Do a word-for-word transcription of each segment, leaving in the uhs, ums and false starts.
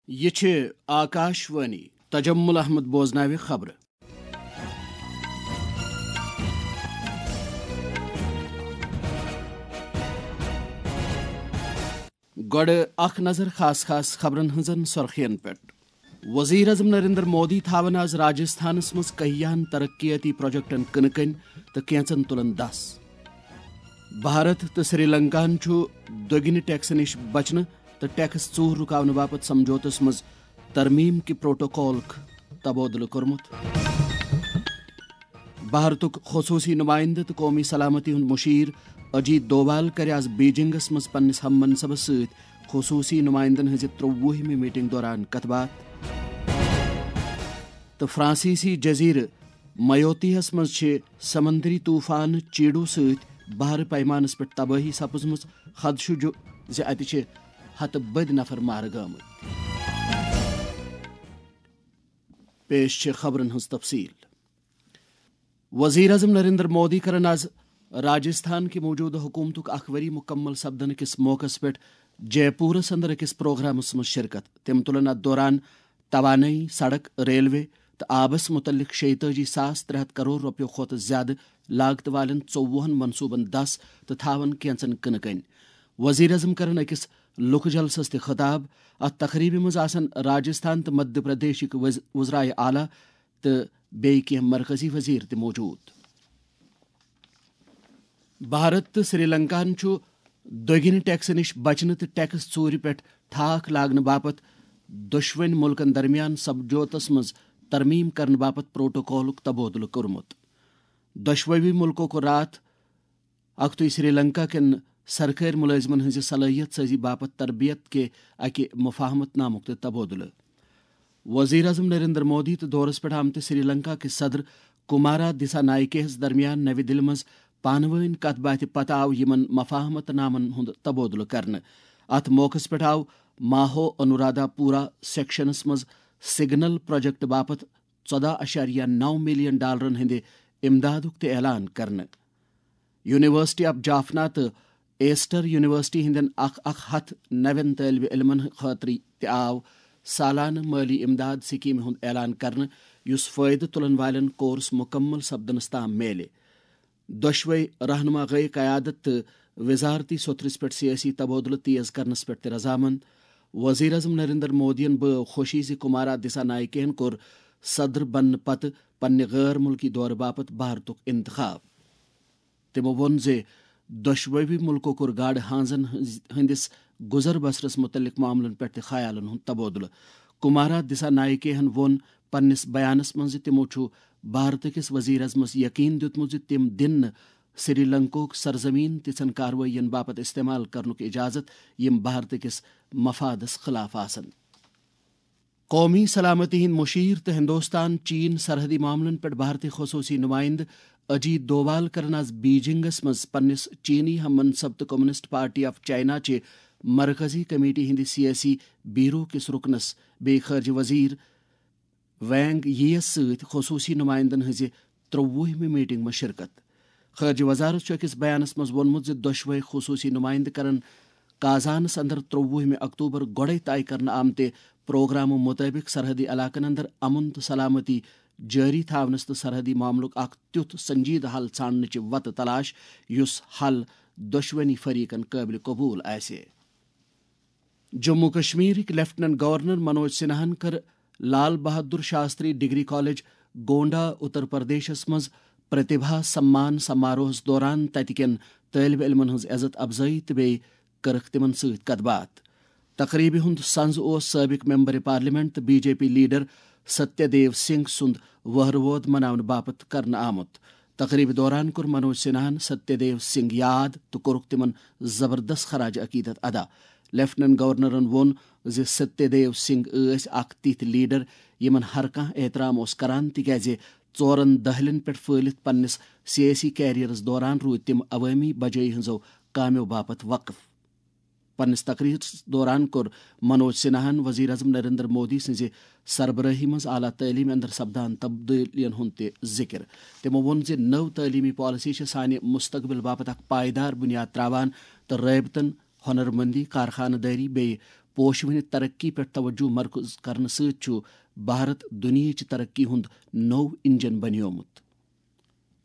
یہِ چھِ آکاش وانی۔ تجمل احمد بوزناوِ خبرٕ۔ گۄڈٕ اکھ نظر خاص خاص خبرن ہٕنٛزن سرخین پٮ۪ٹھ۔ وزیر اعظم نریندر مودی تھاون آز راجستھانس منٛز کہیاہن ترقیاتی پروجیکٹن کٕنہٕ کٔنۍ تہٕ کینژن تُلن دس۔ بھارت تہٕ سری لنکاہن چھُ دۄگنہِ ٹیکسہٕ نِش بچنہٕ تہٕ ٹیکس ژوٗر رُکاونہٕ باپتھ سمجھوتس منٛز ترمیم کہِ پروٹوکولُک تبادلہٕ کوٚرمُت۔ بھارتُک خصوٗصی نُمایندٕ تہٕ قومی سلامتی ہُنٛد مُشیر اجیت دووال کَرِ آز بیجنگس منٛز پننِس ہم منصبس سۭتۍ خصوٗصی نُمایندن ہٕنٛزِ ترٛۆوُہمہِ میٹنگ دوران کتھ باتھ۔ تہٕ فرانسیسی جزیرٕ میوتیہس منٛز چھِ سمندری طوفان چیڈو سۭتۍ بحر پیمانس پٮ۪ٹھ تبٲہی سپٕزمٕژ۔ خدشہٕ چھُ زِ اتہِ چھِ ہتہٕ بٔدۍ نفر مارٕ گٲمٕتۍ۔ پیش چھِ خبرن ہٕنٛز تفصیل۔ وزیر اعظم نریندر مودی کرن آز راجستھان کہِ موجودٕ حکومتُک اکھ ؤری مکمل سپدن کِس موقعس پٮ۪ٹھ جے پورس اندر أکِس پروگرامس منٛز شرکت۔ تِم تُلن اتھ دوران توانٲیی، سڑک، ریلوے تہٕ آبس متعلق شیٚیہِ تٲجی ساس ترٛےٚ ہتھ کرور رۄپیو کھۄتہٕ زیادٕ لاگتہٕ والٮ۪ن ژوٚوُہن منصوبن دس تہٕ تھاون کینژن کٕنہٕ کٔنۍ۔ وزیر اعظم کرن أکِس لُکہٕ جلسس تہِ خطاب۔ اتھ تقریبہِ منٛز آسن راجستھان تہٕ مدھیہ پردیشٕکۍ وز-، وزرائے اعلیٰ تہٕ بیٚیہِ کینٛہہ مرکزی وزیر تہِ موجود۔ بھارت تہٕ سری لنکاہن چھُ دۄگنہِ ٹیکسہٕ نِش بچنہٕ تہٕ ٹیکس ژوٗرِ پٮ۪ٹھ ٹھاکھ لاگنہٕ باپتھ دۄشوٕنۍ مُلکن درمیان سمجھوتس منٛز ترمیم کرنہٕ باپتھ پروٹوکولُک تبادلہٕ کوٚرمُت۔ دۄشوٕے مُلکو کوٚر راتھ اکھتُے سری لنکا کٮ۪ن سرکٲرۍ مُلٲزمن ہٕنٛزِ صلٲحیت سٲزی باپتھ تربیت کہِ اکہِ مفاہمت نامُک تہِ تبادلہٕ۔ وزیر اعظم نریندر مودی تہٕ دورس پٮ۪ٹھ آمتہِ سری لنکا کِس صدر کمارا دسا نائکے ہس درمیان نوِ دِلہِ منٛز پانہٕ وٲنۍ کتھ باتھِ پتہٕ آو یِمن مفاہمت نامن ہُنٛد تبادلہٕ کرنہٕ۔ اتھ موقعس پٮ۪ٹھ آو ماہو انورادھا پورہ سیکشنس منٛز سگنل پروجیکٹ باپتھ ژۄداہ اَشاریہ نَو ملین ڈالرن ہٕنٛدِ امدادُک تہِ اعلان کرنہٕ۔ یونیورسٹی آف جافنا تہٕ ایسٹر یونیورسٹی ہٕنٛدٮ۪ن اکھ اکھ ہتھ نوٮ۪ن طٲلبہِ علمن خٲطرٕ تہِ آو سالانہٕ مٲلی امداد سکیمہِ ہُنٛد اعلان کرنہٕ، یُس فٲیدٕ تُلن والٮ۪ن کورس مُکمل سپدنس تام میلہِ۔ دۄشوے رہنما گٔیہِ قیادت تہٕ وزارتی سوٚتھرِس پٮ۪ٹھ سیٲسی تبادلہٕ تیز کرنس پٮ۪ٹھ تہِ رضامند۔ وزیر اعظم نریندر مودیَن بٲو خوشی زِ کمارا دسا نائکے یَن کوٚر صدر بننہٕ پتہٕ پننہِ غٲر مُلکی دورٕ باپتھ بھارتُک انتخاب۔ تِمو ووٚن زِ دۄشوٕے مُلکو کوٚر گاڈٕ ہٲنزن ہٕنٛز، ہٕنٛدِس گُزر بسرس مُتعلق معاملن پٮ۪ٹھ تہِ خیالن ہُنٛد تبادلہٕ۔ کمارا دسا نائکے ہن ووٚن پننِس بیانس منٛز زِ تِمو چھُ بھارت کِس وزیر اعظمس یقین دیُتمُت زِ تِم دِن نہٕ سری لنکوک سرزمین تِژھن کاروٲیین باپتھ استعمال کرنُک اجازت یِم بھارت کِس مفادس خلاف آسن۔ قومی سلامتی ہٕنٛدۍ مُشیر تہٕ ہندوستان چین سرحدی معاملن پٮ۪ٹھ بھارتی خصوٗصی نُمایندٕ اجیت دووال کرن آز بیجنگس منٛز پننِس چینی ہم منصب تہٕ کمیونسٹ پارٹی آف چائنا چہِ مرکزی کمیٹی ہٕنٛدِ سیٲسی بیورو کِس رُکنس بیٚیہِ خارجہ وزیر وینگ یی یَس سۭتۍ خصوٗصی نُمایندَن ہٕنٛزِ ترٛۆوُہمہِ میٹنگ منٛز شرکت۔ خارجہ وزارت چھُ أکِس بیانَس منٛز ووٚنمُت زِ دۄشوٕے خصوٗصی نُمایندٕ کرَن کازانَس اندر ترٛۆوُہمہِ اکتوبر گۄڈَے طے کرنہٕ آمتہِ پروگرامہٕ مُطٲبِق سرحدی علاقَن اندر امن تہٕ سلامتی جٲری تھاونَس تہٕ سرحدی معاملُک اکھ تیُتھ سنجیدٕ حل ژھانڈنٕچہِ وتہٕ تلاش، یُس حل دۄشوٕنی فریقَن قٲبلِ قبول آسہِ۔ جموں کشمیرٕکۍ لیفٹیننٹ گورنر منوج سنہاہن کٔر لال بہادر شاستری ڈگری کالج، گونڈا، اتر پردیشس منٛز پرتیبھا سمان سماروہس دوران تتہِ کٮ۪ن طٲلبہِ علمن ہٕنٛز عزت افزٲیی تہٕ بیٚیہِ کٔرٕکھ تِمن سۭتۍ کتھ باتھ۔ تقریبہِ ہُنٛد سنز اوس سٲبق ممبر پارلیمنٹ تہٕ بی جے پی لیڈر ستیہ دیو سنگھ سُنٛد وہرٕ وود مناونہٕ باپتھ کرنہٕ آمُت۔ تقریبہِ دوران کوٚر منوج سنہاہن ستیہ دیو سنگھ یاد تہٕ کوٚرُکھ تِمن زبردست خراج عقیدت ادا۔ لیفٹیننٹ گورنرن ووٚن زِ ستیہ دیو سنگھ ٲسۍ اکھ تِتھۍ لیڈر یِمن ہر کانٛہہ احترام اوس کران، تِکیازِ ژورن دٔہلٮ۪ن پٮ۪ٹھ پھٔہلِتھ پننِس سیٲسی کیریئرس دوران روٗدۍ تِم عوٲمی بجٲیی ہٕنٛزو کامیو باپتھ وقف۔ پننِس تقریرس دوران کوٚر منوج سنہاہن وزیر اعظم نریندر مودی سٕنٛزِ سربرٲہی منٛز اعلیٰ تعلیمہِ اندر سپدان تبدیلیَن ہُنٛد تہِ ذکر۔ تِمو ووٚن زِ نٔو تعلیمی پالیسی چھِ سانہِ مستقبل باپتھ اکھ پائیدار بنیاد تراوان تہٕ رٲبطن، ہنرمندی، کارخانہٕ دٲری بیٚیہِ پوشوٕنہِ ترقی پٮ۪ٹھ توجہ مرکوز کرنہٕ سۭتۍ چھُ بھارت دُنیاہٕچ ترقی ہُنٛد نوٚو انجن بنیومُت۔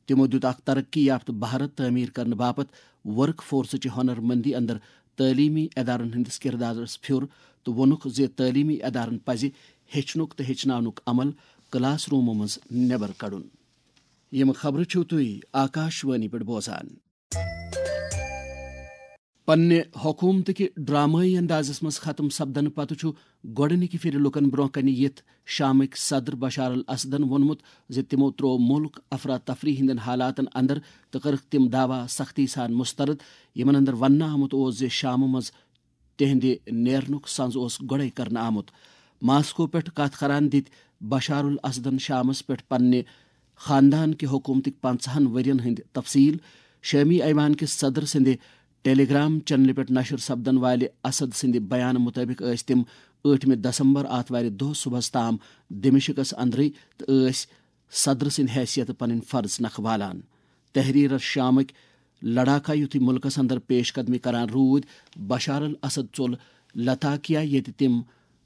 تِمو دِیُت اکھ ترقی یافتہٕ بھارت تعمیٖر کرنہٕ باپتھ ورک فورسٕچہِ ہُنر مندی اندر تعلیمی ادارن ہٕنٛدِس کردارس پھیُر تہٕ ووٚنُکھ زِ تعلیمی ادارن پزِ ہیٚچھنُک تہٕ ہیٚچھناونُک عمل کلاس رومو منٛز نٮ۪بر کڑُن۔ یِم خبرٕ چھِو تُہۍ آکاش وانی پٮ۪ٹھ بوزان۔ پننہِ حکومتٕکہِ ڈرامٲیی اندازس منٛز ختم سپدنہٕ پتہٕ چھُ گۄڈٕنِکہِ پھِرِ لوٗکن برٛونٛہہ کنہِ یِتھ شامٕکۍ صدر بشار الاسدن ووٚنمُت زِ تِمو ترٛوو مُلک افراتفری ہٕنٛدٮ۪ن حالاتن اندر تہٕ کٔرٕکھ تِم دعویٰ سختی سان مسترد، یِمن اندر وننہٕ آمُت اوس زِ شامہٕ منٛز تِہنٛدِ نیرنُک سنز اوس گۄڈَے کرنہٕ آمُت۔ ماسکو پٮ۪ٹھ کتھ کران دِتۍ بشار الاسدن شامس پٮ۪ٹھ پننہِ خاندان کہِ حکومتٕکۍ پنژاہن ؤرین ہٕنٛدۍ تفصیل۔ شٲمی ایوان کِس صدر سٕنٛدِ ٹیلی گرام چینلہِ پٮ۪ٹھ نشر سپدن والہِ اسد سٕنٛدِ بیان مُطٲبِق ٲسۍ تِم ٲٹھمہِ دسمبر آتھوارِ دۄہ صبحس تام دمشقس اندرٕے تہٕ ٲسۍ صدر سٕنٛدِ حیثیتہٕ پنٕنۍ فرض نکھٕ والان۔ تحریر الشامٕکۍ لڑاکا یُتھُے مُلکس اندر پیش قدمی کران روٗدۍ، بشار الاسد ژوٚل لتاکیا، ییٚتہِ تِم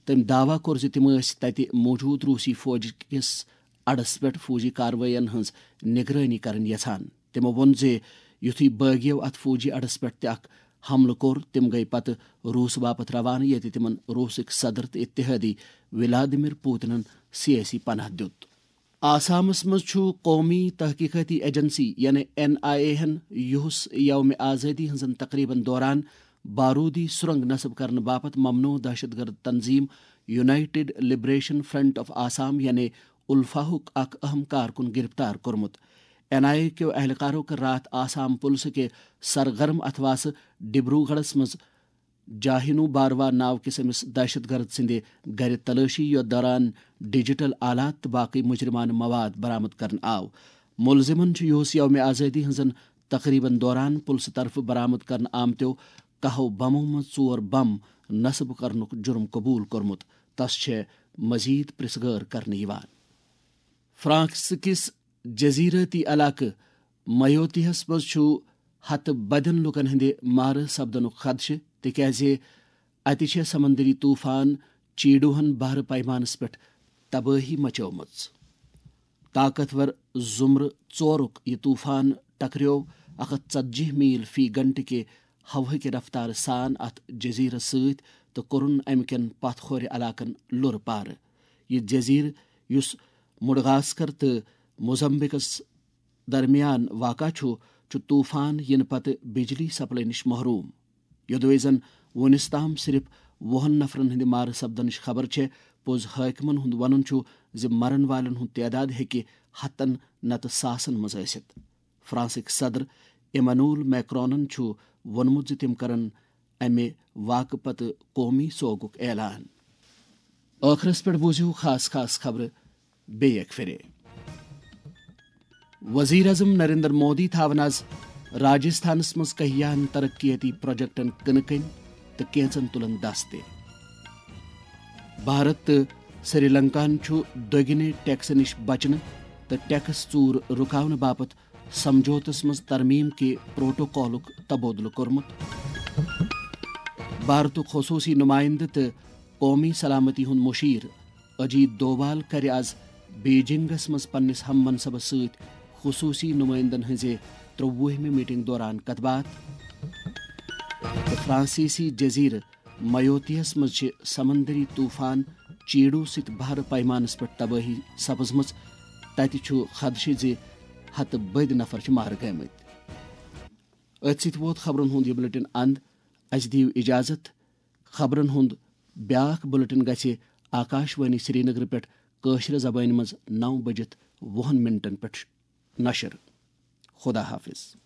تٔمۍ دعویٰ کوٚر زِ تِم ٲسۍ تتہِ موجود روسی فوج کِس اڈس پٮ۪ٹھ فوجی کاروٲیین ہٕنٛز نگرٲنی کرٕنۍ یژھان۔ تِمو ووٚن زِ یُتھُے بٲغیو اتھ فوجی اڈس پٮ۪ٹھ تہِ اکھ حملہٕ کوٚر، تِم گٔیہِ پتہٕ روٗس باپتھ روانہٕ، ییٚتہِ تِمن روٗسٕکۍ صدر تہٕ اتحادی ولادیمیر پوتنن سیٲسی پناہ دیُت۔ آسامس منٛز چھُ قومی تحقیقاتی ایجنسی یعنی این آئی اے ہن یُہس یوم آزادی ہٕنٛزن تقریبن دوران بارودی سرنگ نصب کرنہٕ باپتھ ممنوع دہشت گرد تنظیم United liberation front of Assam یعنی الفاہُک اکھ اہم کارکُن گرفتار کوٚرمُت۔ این آئی اے کیو اہلکارو کٔر راتھ آسام پُلسہٕ کہِ سرگرم اتھواسہٕ ڈبروگڑھس منٛز جاہینو باروا ناو کِس أمِس دہشت گرد سٕنٛدِ گرِ تلٲشی، یتھ دوران ڈیجیٹل آلات تہٕ باقٕے مجرمانہٕ مواد برآمد کرنہٕ آو۔ ملزمن چھُ یُہس یوم آزادی ہٕنٛزن تقریبن دوران پُلسہٕ طرفہٕ برآمد کرنہٕ آمتیو کاہو بمو منٛز ژور بم نصب کرنُک جرم قبول کوٚرمُت۔ تس چھےٚ مزید پرژھ گٲر کرنہٕ یِوان۔ فرانس کِس جزیرٲتی علاقہٕ میوتیہس منٛز چھُ ہتہٕ بدٮ۪ن لوٗکن ہٕنٛدِ مارٕ سپدنُک خدشہٕ، تِکیازِ اتہِ چھےٚ سمندری طوفان چیڈوہن بحرٕ پیمانس پٮ۪ٹھ تبٲہی مچٲومٕژ۔ طاقتور زمرٕ ژورُک یہِ طوفان ٹکریوو اکھ ہتھ ژتجی میل فی گھنٹہٕ کہِ ہوہٕکہِ رفتارٕ سان اتھ جزیرس سۭتۍ تہٕ کوٚرُن امہِ کٮ۪ن پتھ کھورِ علاقن لُرٕ پارٕ۔ یہِ جزیرٕ، یُس مڈغاسکر تہٕ موزمبیکس درمیان واقع چھُ، چھُ طوفان یِنہٕ پتہٕ بجلی سپلائی نِش محروم۔ یوٚدوے زن وُنِس تام صرف وُہن نفرن ہٕنٛدِ مارٕ سپدنٕچ خبر چھےٚ، پوٚز حٲکمن ہُنٛد ونُن چھُ زِ مرن والٮ۪ن ہُنٛد تعداد ہیٚکہِ ہتن نتہٕ ساسن منٛز ٲسِتھ۔ فرانسٕکۍ صدر ایمانوئل میکرونن چھُ ووٚنمُت زِ تِم کرن امہِ واقعہٕ پتہٕ قومی سوگُک اعلان۔ ٲخرس پٮ۪ٹھ بوٗزِو خاص خاص خبرٕ بیٚیہِ اکہِ پھِرِ۔ وزیر اعظم نریندر مودی تھاون از راجستھانس منٛز کہیاہن ترقیتی پروجیکٹن کٕنہٕ کٔنۍ تہٕ کینژن تُلن دس تہِ۔ بھارت تہٕ سری لنکاہن چھُ دۄگنہِ ٹیکسہٕ نِش بچنہٕ تہٕ ٹیکس ژوٗر رُکاونہٕ باپتھ سمجھوتس منٛز ترمیم کہِ پروٹوکالُک تبادلہٕ کوٚرمُت۔ بھارتُک خصوٗصی نُمٲیندٕ تہٕ قومی سلامتی ہُنٛد مُشیر اجیت دووال کَرِ آز بیجنگس منٛز پننِس ہم منصبس سۭتۍ خصوٗصی نُمٲیندن ہٕنٛزِ ترٛۆوُہمہِ میٹنگ دوران کتھ باتھ۔ تہٕ فرانسیسی جزیرٕ میوتیہس منٛز چھِ سمندری طوفان چیڈو سۭتۍ بحرٕ پیمانس پٮ۪ٹھ تبٲہی سپٕزمٕژ۔ تتہِ چھُ خدشہٕ زِ ہتہٕ بٔدۍ نفر چھِ مارٕ گٔمٕتۍ۔ أتھۍ سۭتۍ ووت خبرن ہُنٛد یہِ بلیٹن اند۔ اسہِ دِیِو اجازت۔ خبرن ہُنٛد بیاکھ بلیٹن گژھِ آکاش وانی سرینگر پٮ۪ٹھ کٲشرِ زبٲنۍ منٛز نو بجِتھ وُہن منٹن پٮ۪ٹھ نشر۔ خدا حافظ۔